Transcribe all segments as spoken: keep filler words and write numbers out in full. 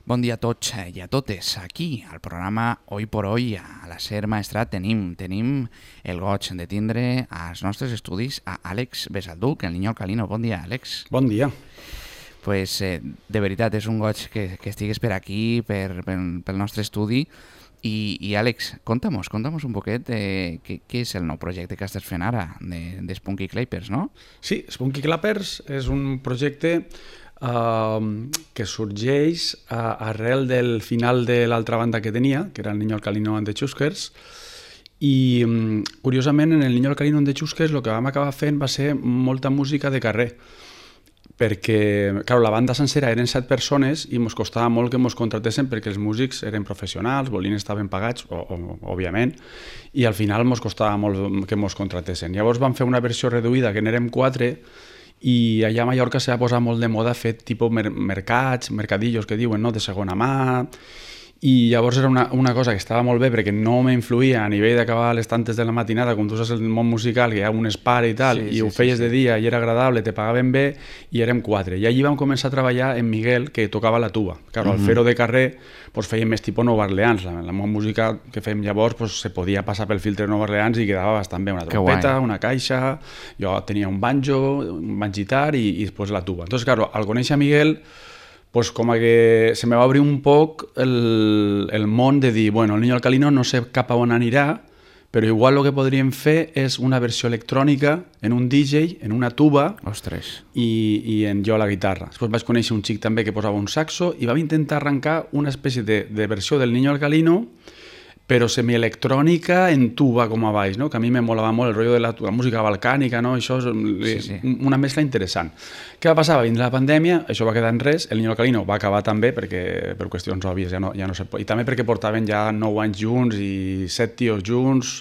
Bon dia a tots i a totes. Aquí, al programa Hoy por Hoy, a la SER Maestrat, tenim, tenim el goig de tindre als nostres estudis a Àlex Besalduc, el niño alcalino. Bon dia, Àlex. Bon dia. Pues, eh, de veritat, és un goig que, que estigues per aquí, per, per, pel nostre estudi. I, i Àlex, conta'm-nos, conta'm-nos un poquet eh, què, què és el nou projecte que estàs fent ara de, de Spunky Clappers, no? Sí, Spunky Clappers és un projecte uh, que sorgeix uh, arrel del final de l'altra banda que tenia, que era el Niño Alcalino and the Chuskers, i um, curiosament en el Niño Alcalino and the Chuskers el que vam acabar fent va ser molta música de carrer, perquè clar, la banda sencera eren set persones i ens costava molt que ens contratessin perquè els músics eren professionals, volien estar ben pagats, o, o, òbviament, i al final ens costava molt que ens contratessin. Llavors vam fer una versió reduïda, que n'érem quatre, i allà a Mallorca s'ha posat molt de moda fer tipus mer mercats, mercadillos que diuen, no?, de segona mà, i llavors era una, una cosa que estava molt bé perquè no m'influïa a nivell d'acabar les tantes de la matinada, com tu saps el món musical, que hi ha un espare i tal, sí, i sí, ho feies sí, sí. de dia i era agradable, te pagaven bé, i érem quatre. I allí vam començar a treballar en Miguel, que tocava la tuba. Claro, al fer-ho de carrer pues, fèiem més tipus Nova Orleans. La, la música que fèiem llavors pues, se podia passar pel filtre de Nova Orleans i quedava bastant bé. Una trompeta, una caixa, jo tenia un banjo, un banjitar i, i després la tuba. Entonces, claro, al conèixer a Miguel, pues com que se me va obrir un poc el, el món de dir, bueno, el Niño Alcalino no sé cap a on anirà, però igual el que podríem fer és una versió electrònica en un D J, en una tuba, Ostres. I, i en jo a la guitarra. Després vaig conèixer un xic també que posava un saxo i vam intentar arrencar una espècie de, de versió del Niño Alcalino, però semielectrònica en tuba com a baix, no? Que a mi me molava molt el rotllo de la, la música balcànica, no? Això és sí, sí. una mescla interessant. Què va passar? Va vindre la pandèmia, això va quedar en res, el Niño Alcalino va acabar també perquè per qüestions òbvies ja no, ja no se pot, i també perquè portaven ja nou anys junts i set tios junts,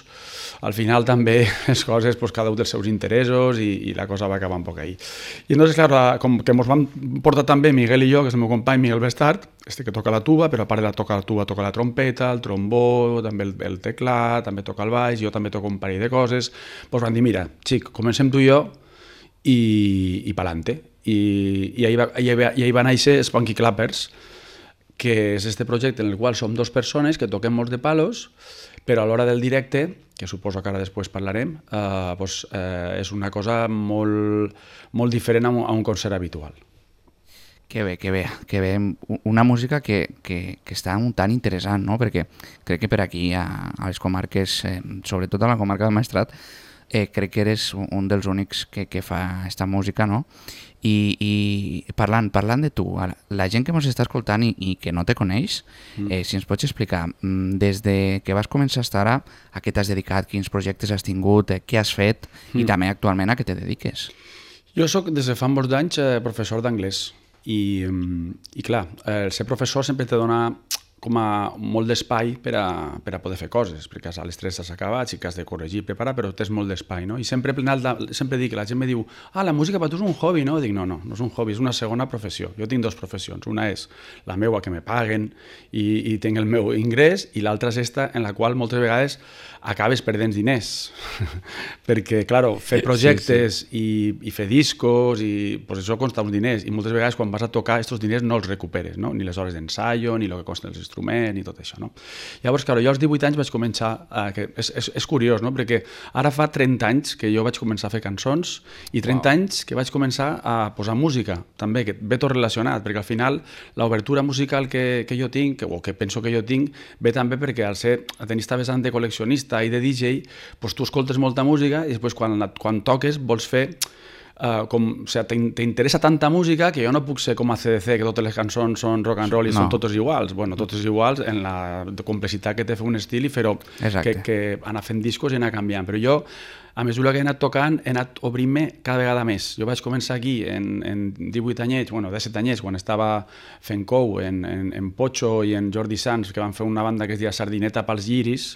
al final també les coses, pues, cada un dels seus interessos i, i la cosa va acabar un poc ahí. I entonces, claro, com que ens vam portar també Miguel i jo, que és el meu company Miguel Bestart, este que toca la tuba, però a part de la toca la tuba, toca la trompeta, el trombó, també el, el teclat, també toca el baix, jo també toco un parell de coses, doncs van dir, mira, xic, comencem tu i jo i, i pa'lante. I, i, ahí va, i, ahí, i ahí va néixer Spunky Clappers, que és este projecte en el qual som dues persones que toquem molts de palos, però a l'hora del directe, que suposo que ara després parlarem, eh, doncs, eh, és una cosa molt, molt diferent a un, a un concert habitual. Que bé, que bé, que bé. Una música que, que, que està un tant interessant, no? Perquè crec que per aquí, a, a les comarques, eh, sobretot a la comarca del Maestrat, eh, crec que eres un dels únics que, que fa esta música, no? I, i parlant, parlant de tu, la gent que ens està escoltant i, i que no te coneix, eh, si ens pots explicar, des de que vas començar a estar ara, a què t'has dedicat, quins projectes has tingut, eh, què has fet i també actualment a què te dediques? Jo soc des de fa molts anys eh, professor d'anglès. I, i clar, el ser professor sempre te dona com a molt d'espai per, a, per a poder fer coses, perquè a les tres has acabat, sí que has de corregir, preparar, però tens molt d'espai, no? I sempre, sempre dic, la gent me diu, ah, la música per tu és un hobby, no? Dic, no, no, no és un hobby, és una segona professió. Jo tinc dues professions, una és la meva, que me paguen i, i tinc el meu ingrés, i l'altra és esta, en la qual moltes vegades acabes perdent diners, perquè, claro, fer projectes sí, sí. I, i fer discos, i pues això costa uns diners, i moltes vegades quan vas a tocar, aquests diners no els recuperes, no? Ni les hores d'ensaio, ni el que costen els instruments, ni tot això, no? Llavors, clar, jo als divuit anys vaig començar, a, que és, és, és curiós, no? Perquè ara fa trenta anys que jo vaig començar a fer cançons i trenta wow. anys que vaig començar a posar música, també, que ve tot relacionat, perquè al final l'obertura musical que, que jo tinc, o que penso que jo tinc, ve també perquè al ser, a tenir esta vessant de col·leccionista i de D J, doncs tu escoltes molta música i després quan, quan toques vols fer Uh, com, o sigui, t'interessa tanta música que jo no puc ser com a C D C, que totes les cançons són rock and roll i no. Són totes iguals. Bueno, totes iguals en la complexitat que té fer un estil i fer-ho, que, que anar fent discos i anar canviant. Però jo, a mesura que he anat tocant, he anat obrint-me cada vegada més. Jo vaig començar aquí en, en divuit anyets, bueno, disset anyets, quan estava fent cou en, en, en Pocho i en Jordi Sanz, que van fer una banda que es deia Sardineta pels guiris,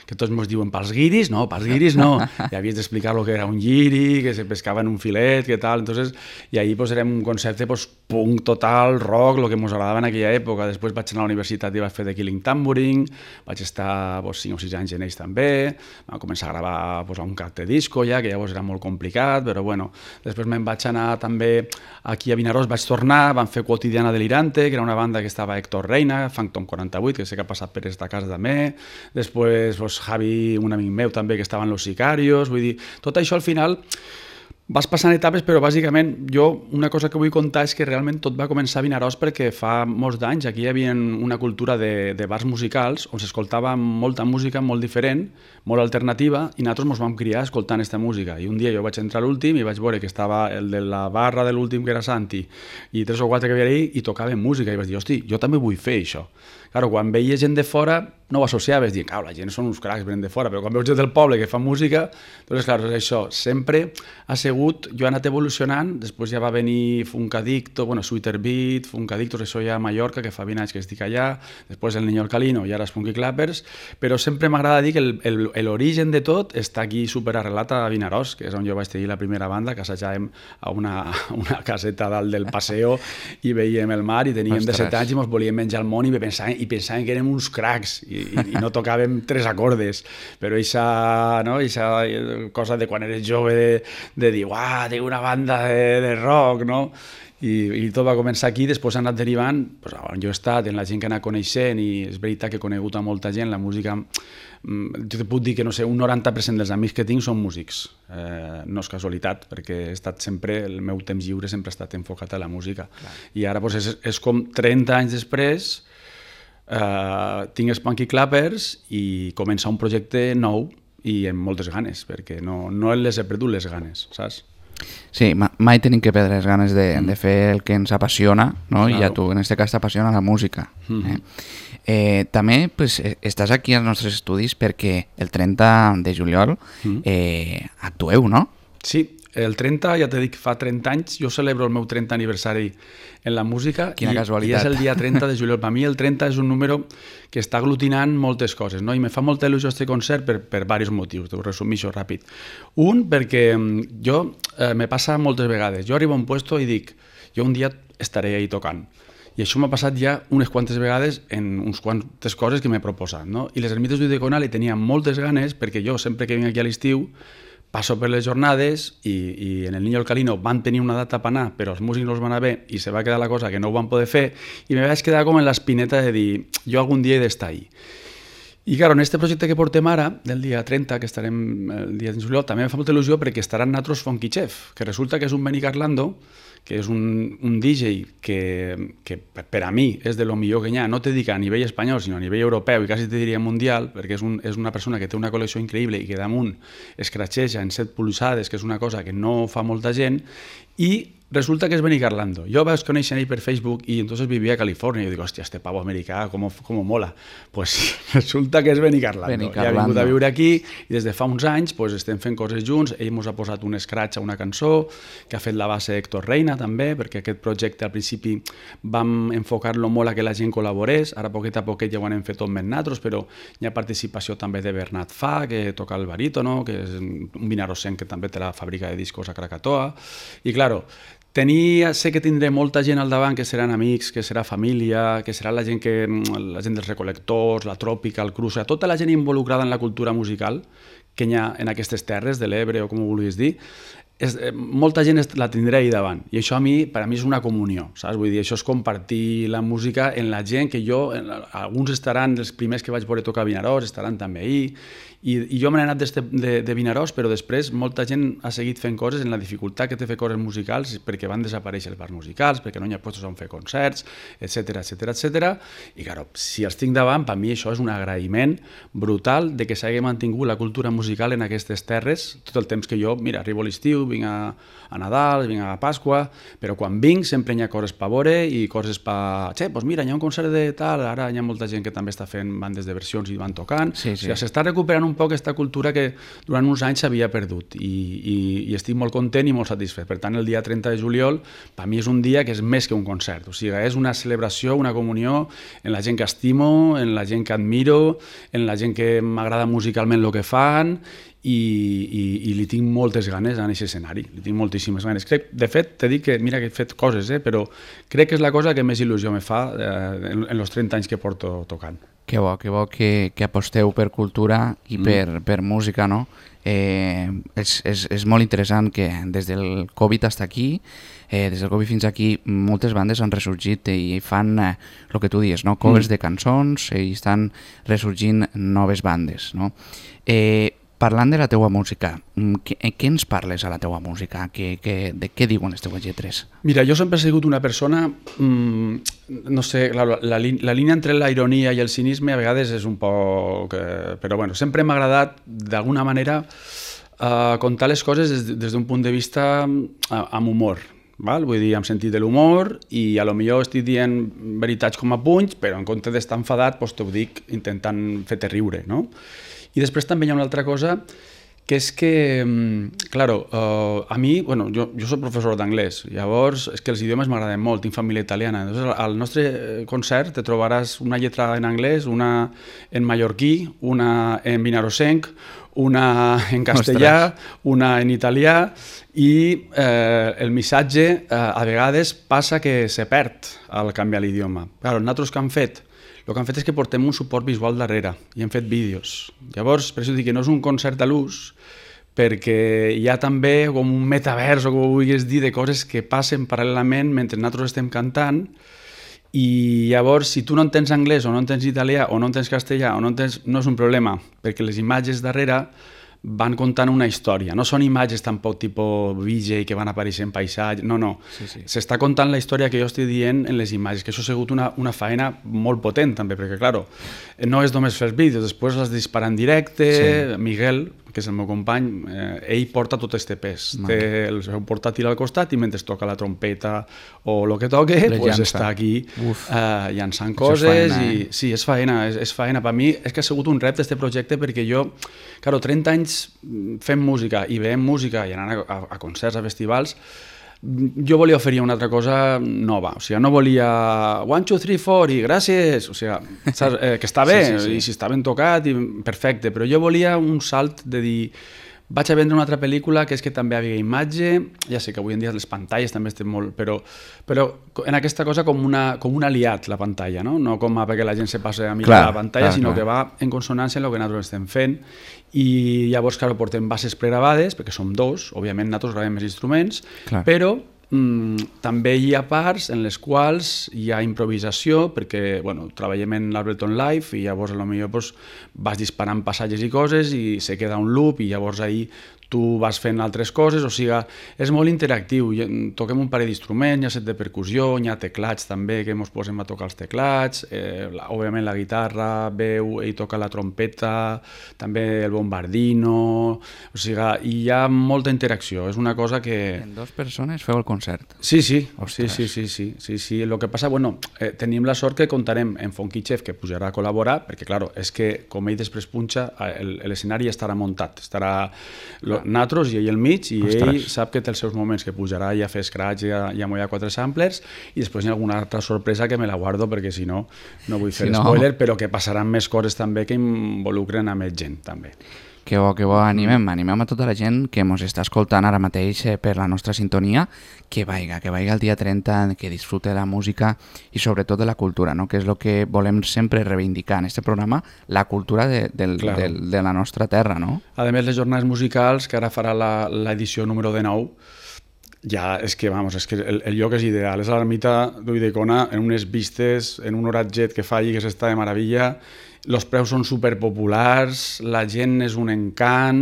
que tots ens diuen, pels guiris? No, pels guiris no. I havies d'explicar el que era un guiri, que se pescava en un filet, que tal. Entonces, i ahí pues, érem un concepte pues, punk total, rock, el que ens agradava en aquella època. Després vaig anar a la universitat i vaig fer The Killing Tambourine, vaig estar pues, cinc o sis anys en ells també, vam començar a gravar pues, un cart de disco ja, que llavors era molt complicat, però bueno, després me'n vaig anar també aquí a Vinaròs, vaig tornar, van fer Quotidiana Delirante, que era una banda que estava Héctor Reina, Phantom quaranta vuit, que sé que ha passat per esta casa també, després pues, Javi, un amic meu també, que estaven Los Sicarios, vull dir, tot això al final vas passant etapes, però bàsicament jo una cosa que vull contar és que realment tot va començar a Vinaròs perquè fa molts d'anys aquí hi havia una cultura de, de bars musicals on s'escoltava molta música molt diferent, molt alternativa, i nosaltres ens vam criar escoltant aquesta música. I un dia jo vaig entrar a l'últim i vaig veure que estava el de la barra de l'últim, que era Santi, i tres o quatre que havia allà, i tocaven música, i vaig dir, hosti, jo també vull fer això. Claro, quan veia gent de fora no ho associaves, dic, la gent són uns cracs, venen de fora, però quan veus gent del poble que fa música, doncs clar, és això, sempre ha sigut, jo he anat evolucionant, després ja va venir Funkadicto, bueno, Sweeter Beat, Funkadictos, això ja a Mallorca, que fa vint anys que estic allà, després el Niño Alcalino i ara els Funky Clappers, però sempre m'agrada dir que l'origen de tot està aquí superarrelat a Vinaròs, que és on jo vaig tenir la primera banda, que assajàvem a una, una caseta dalt del paseo i veiem el mar i teníem de set anys i ens volíem menjar el món i pensàvem, i pensàvem que érem uns cracs i, i, i no tocàvem tres acordes, però eixa, no, eixa cosa de quan eres jove de, de dir, uah, tinc una banda de, de rock, no? I, i tot va començar aquí, després ha anat derivant, pues, on jo he estat, en la gent que ha anat coneixent, i és veritat que he conegut a molta gent, la música, jo te puc dir que no sé, un noranta per cent dels amics que tinc són músics, eh, no és casualitat, perquè he estat sempre, el meu temps lliure sempre ha estat enfocat a la música. Clar. I ara pues, és, és com trenta anys després, Uh, tinc els Funky Clappers i començar un projecte nou i amb moltes ganes, perquè no, no les he perdut les ganes, saps? Sí, ma mai tenim que perdre les ganes de, mm. de fer el que ens apassiona, no? Claro. I a tu en aquest cas t'apassiona la música. Mm -hmm. eh? Eh, també pues, estàs aquí als nostres estudis perquè el trenta de juliol mm. eh, actueu, no? Sí, el trenta, ja t'he dit que fa trenta anys, jo celebro el meu trenta aniversari en la música. Quina i, casualitat. I és el dia trenta de juliol. Per mi el trenta és un número que està aglutinant moltes coses, no? I me fa molta il·lusió aquest concert per, per diversos motius, t'ho resumixo ràpid. Un, perquè jo, eh, me passa moltes vegades, jo arribo a un puesto i dic, jo un dia estaré ahí tocant. I això m'ha passat ja unes quantes vegades en uns quantes coses que m'he proposat, no? I les Ermites d'Udeconal hi tenia moltes ganes, perquè jo sempre que vinc aquí a l'estiu passo per les jornades i, i en el Niño Alcalino van tenir una data per anar, però els músics no els van anar bé i se va quedar la cosa que no ho van poder fer i me vaig quedar com en l'espineta de dir jo algun dia he d'estar ahí. I clar, en aquest projecte que portem ara, del dia trenta, que estarem el dia de juliol, també em fa molta il·lusió perquè estaran nosaltres Funky Chef, que resulta que és un Benny Carlando, que és un, un D J que, que per a mi és de lo millor que hi ha, no te dic a nivell espanyol, sinó a nivell europeu i quasi te diria mundial, perquè és, un, és una persona que té una col·lecció increïble i que damunt escratxeja en set polzades, que és una cosa que no fa molta gent, i resulta que és Benny Carlando. Jo vaig conèixer ell per Facebook i entonces vivia a Califòrnia i jo dic, hòstia, este pavo americà, com, com mola. Pues resulta que és Benny Carlando. Benny Carlando. Ja ha vingut a viure aquí i des de fa uns anys pues, estem fent coses junts. Ell ens ha posat un scratch a una cançó que ha fet la base Héctor Reina també, perquè aquest projecte al principi vam enfocar-lo molt a que la gent col·laborés. Ara poquet a poquet ja ho anem fet tot més nosaltres, però hi ha participació també de Bernat Fa, que toca el barítono, que és un vinarossenc que també té la fàbrica de discos a Krakatoa. I claro, Tenia, sé que tindré molta gent al davant que seran amics, que serà família, que serà la gent, que, la gent dels recolectors, la tròpica, el cruza, tota la gent involucrada en la cultura musical que hi ha en aquestes terres de l'Ebre o com ho vulguis dir, és, molta gent la tindrà ahí davant i això a mi, per a mi és una comunió, saps? Vull dir, això és compartir la música en la gent que jo, alguns estaran els primers que vaig veure tocar a Vinaròs, estaran també ahí i, i jo me n'he anat de, de, de Vinaròs, però després molta gent ha seguit fent coses en la dificultat que té fer coses musicals perquè van desaparèixer els bars musicals, perquè no hi ha llocs on fer concerts, etcètera, etcètera, etcètera. I claro, si els tinc davant, per mi això és un agraïment brutal de que s'hagi mantingut la cultura musical en aquestes terres tot el temps que jo, mira, arribo a l'estiu, vinc a, a Nadal, vinc a Pasqua, però quan vinc sempre hi ha coses per veure i coses per... Che, doncs mira, hi ha un concert de tal, ara hi ha molta gent que també està fent bandes de versions i van tocant. Sí, sí. O sigui, s'està recuperant un poc aquesta cultura que durant uns anys s'havia perdut i, i, i estic molt content i molt satisfet. Per tant, el dia trenta de juliol, per mi és un dia que és més que un concert. O sigui, és una celebració, una comunió en la gent que estimo, en la gent que admiro, en la gent que m'agrada musicalment el que fan i, i, i li tinc moltes ganes a aquest escenari, li tinc moltíssimes ganes. Crec, de fet, t'he dit que mira que he fet coses, eh, però crec que és la cosa que més il·lusió me fa eh, en, en els trenta anys que porto tocant. Que bo, que bo que, que aposteu per cultura i mm. per, per música, no? Eh, és, és, és molt interessant que des del Covid fins aquí, eh, des del Covid fins aquí, moltes bandes han ressorgit i fan el eh, que tu dius, no? Covers mm. de cançons i estan ressorgint noves bandes, no? Eh, Parlant de la teua música, què, què ens parles a la teua música? Que, que, de què diuen les teues lletres? Mira, jo sempre he sigut una persona, mmm, no sé, la, la, la línia entre la ironia i el cinisme a vegades és un poc... Eh, però bueno, sempre m'ha agradat d'alguna manera eh, contar les coses des, des d'un punt de vista eh, amb humor. Val? Vull dir, amb sentit de l'humor, i a lo millor estic dient veritats com a punys, però en compte d'estar enfadat doncs t'ho dic intentant fer-te riure, no? I després també hi ha una altra cosa, que és que, claro, uh, a mi, bueno, jo, jo soc professor d'anglès, llavors és que els idiomes m'agraden molt, tinc família italiana, llavors al nostre concert te trobaràs una lletra en anglès, una en mallorquí, una en vinarosenc, una en castellà, Ostres. Una en italià, i eh, el missatge eh, a vegades passa que se perd al canviar l'idioma. Claro, nosaltres que hem fet? El que han fet és que portem un suport visual darrere i hem fet vídeos. Llavors, per això dic que no és un concert a l'ús, perquè hi ha també com un metavers, o com ho vulguis dir, de coses que passen paral·lelament mentre nosaltres estem cantant, i llavors, si tu no entens anglès, o no entens italià, o no entens castellà, o no entens... no és un problema, perquè les imatges darrere van contant una història. No són imatges tampoc tipus V J que van aparèixer en paisatge, no, no. Sí, sí. S'està contant la història que jo estic dient en les imatges, que això ha sigut una, una feina molt potent també, perquè, clar, no és només fer vídeos, després les disparar en directe. Sí. Miguel, que és el meu company, eh, ell porta tot este pes. Té el seu portàtil al costat i mentre toca la trompeta o el que toque, pues està aquí eh, llançant coses. Faena, eh? I, sí, és faena, és, és faena. Per mi és que ha sigut un repte este projecte, perquè jo, claro, trenta anys fent música i veient música i anant a, a, a concerts, a festivals, jo volia oferir una altra cosa nova, o sigui, no volia one, two, three, four i gràcies, o sigui, saps? Eh, que està bé, sí, sí, sí. I si està ben tocat, i perfecte, però jo volia un salt de dir, vaig a vendre una altra pel·lícula que és que també havia imatge, ja sé que avui en dia les pantalles també estan molt, però, però en aquesta cosa com, una, com un aliat la pantalla, no? No com a perquè la gent se passi a mirar clar, la pantalla, clar, sinó clar. Que va en consonància amb el que nosaltres estem fent, i llavors, clar, portem bases pregravades, perquè som dos, òbviament nosaltres gravem més instruments, clar. Però mm, també hi ha parts en les quals hi ha improvisació, perquè bueno, treballem en l'Ableton Live i llavors potser pues, vas disparant passatges i coses i se queda un loop i llavors ahí tu vas fent altres coses, o sigui, és molt interactiu. Toquem un parell d'instruments, hi ha set de percussió, hi ha teclats també, que ens posem a tocar els teclats, eh, la, òbviament la guitarra, veu, ell toca la trompeta, també el bombardino, o sigui, hi ha molta interacció, és una cosa que... En dues persones feu el concert? Sí, sí, sí, sí, sí, sí, sí, sí. El que passa, bueno, eh, tenim la sort que comptarem en Funky Chef, que pujarà a col·laborar, perquè, clar, és que, com ell després punxa, l'escenari estarà muntat, estarà... Lo, nosaltres i ell al mig, i Ostres. Ell sap que té els seus moments, que pujarà i a fer scratch i a, i a mullar quatre samplers, i després hi ha alguna altra sorpresa que me la guardo perquè si no, no vull fer si no... spoiler, però que passaran més coses també que involucren a més gent també. Que bo, que bo, animem, animem a tota la gent que ens està escoltant ara mateix eh, per la nostra sintonia, que vaiga, que vaiga el dia trenta, que disfrute de la música i sobretot de la cultura, no? Que és el que volem sempre reivindicar en aquest programa, la cultura de, del, claro. de, de la nostra terra, no? A més, les jornades musicals, que ara farà l'edició número dinou, ja és que, vamos, és que el, el lloc és ideal, és a l'ermita d'Ulldecona, en unes vistes, en un horatget que fa allí que s'està de meravella. Els preus són superpopulars, la gent és un encant,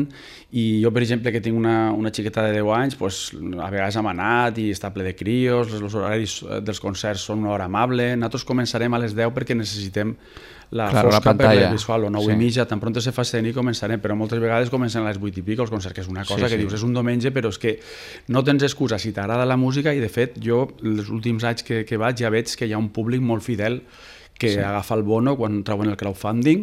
i jo, per exemple, que tinc una, una xiqueta de deu anys, pues, a vegades hem anat i està ple de crios, els horaris dels concerts són una hora amable. Nosaltres començarem a les deu perquè necessitem la claro, fosca la per la visual, o nou sí. i mitja, tan pronto se fa escena i començarem, però moltes vegades comencen a les vuit i pico els concerts, que és una cosa sí, que sí. dius, és un diumenge, però és que no tens excusa si t'agrada la música, i de fet jo, els últims anys que, que vaig, ja veig que hi ha un públic molt fidel que sí. agafa el bono quan treuen el crowdfunding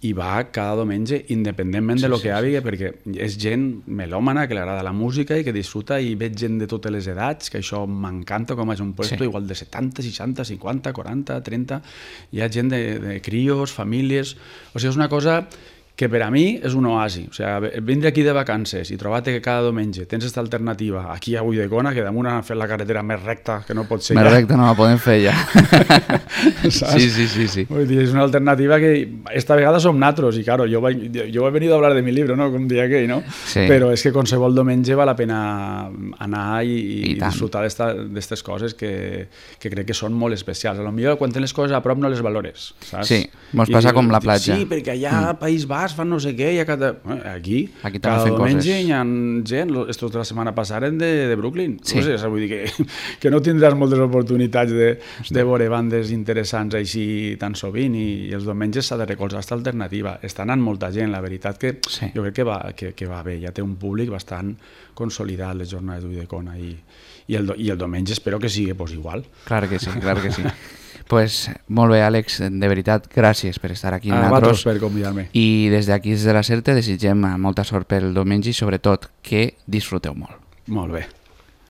i va cada diumenge independentment sí, de lo que sí, hi hagi, sí. perquè és gent melòmana que li agrada la música i que disfruta, i veig gent de totes les edats, que això m'encanta, com és un puesto sí. igual de setanta, seixanta, cinquanta, quaranta, trenta, hi ha gent de, de crios, famílies, o sigui, és una cosa que per a mi és un oasi. O sigui, vindre aquí de vacances i trobar-te que cada diumenge tens aquesta alternativa aquí a Ulldecona, que damunt han fet la carretera més recta que no pot ser més ja. Més recta no la podem fer ja. Sí, sí, sí, sí. Vull dir, és una alternativa que esta vegada som natros, i claro, jo, vaig, jo he venido a hablar de mi libro, ¿no? Com dia aquell, no? Sí. Però és que qualsevol diumenge val la pena anar i, i, I disfrutar d'aquestes coses que, que crec que són molt especials. A lo millor quan tens les coses a prop no les valores, saps? Sí, mos passa I, com la platja. Sí, perquè allà mm. a País Basc fan no sé què, i a cada... aquí, aquí cada diumenge coses. Hi ha gent, estos de la setmana passada de, de Brooklyn. Sí. No sé, vull dir que, que no tindràs moltes oportunitats de, de veure bandes interessants així tan sovint, i, i els diumenges s'ha de recolzar aquesta alternativa. Està anant molta gent, la veritat que sí. jo crec que va, que, que va bé, ja té un públic bastant consolidat les jornades d'Ulldecona, i, i, el, i el diumenge espero que sigui pues, igual. Clar que sí, clar que sí. Pues molt bé, Àlex, de veritat, gràcies per estar aquí amb ah, nosaltres. Per convidar-me. I des d'aquí, des de la CERTE, desitgem molta sort pel diumenge i sobretot que disfruteu molt. Molt bé.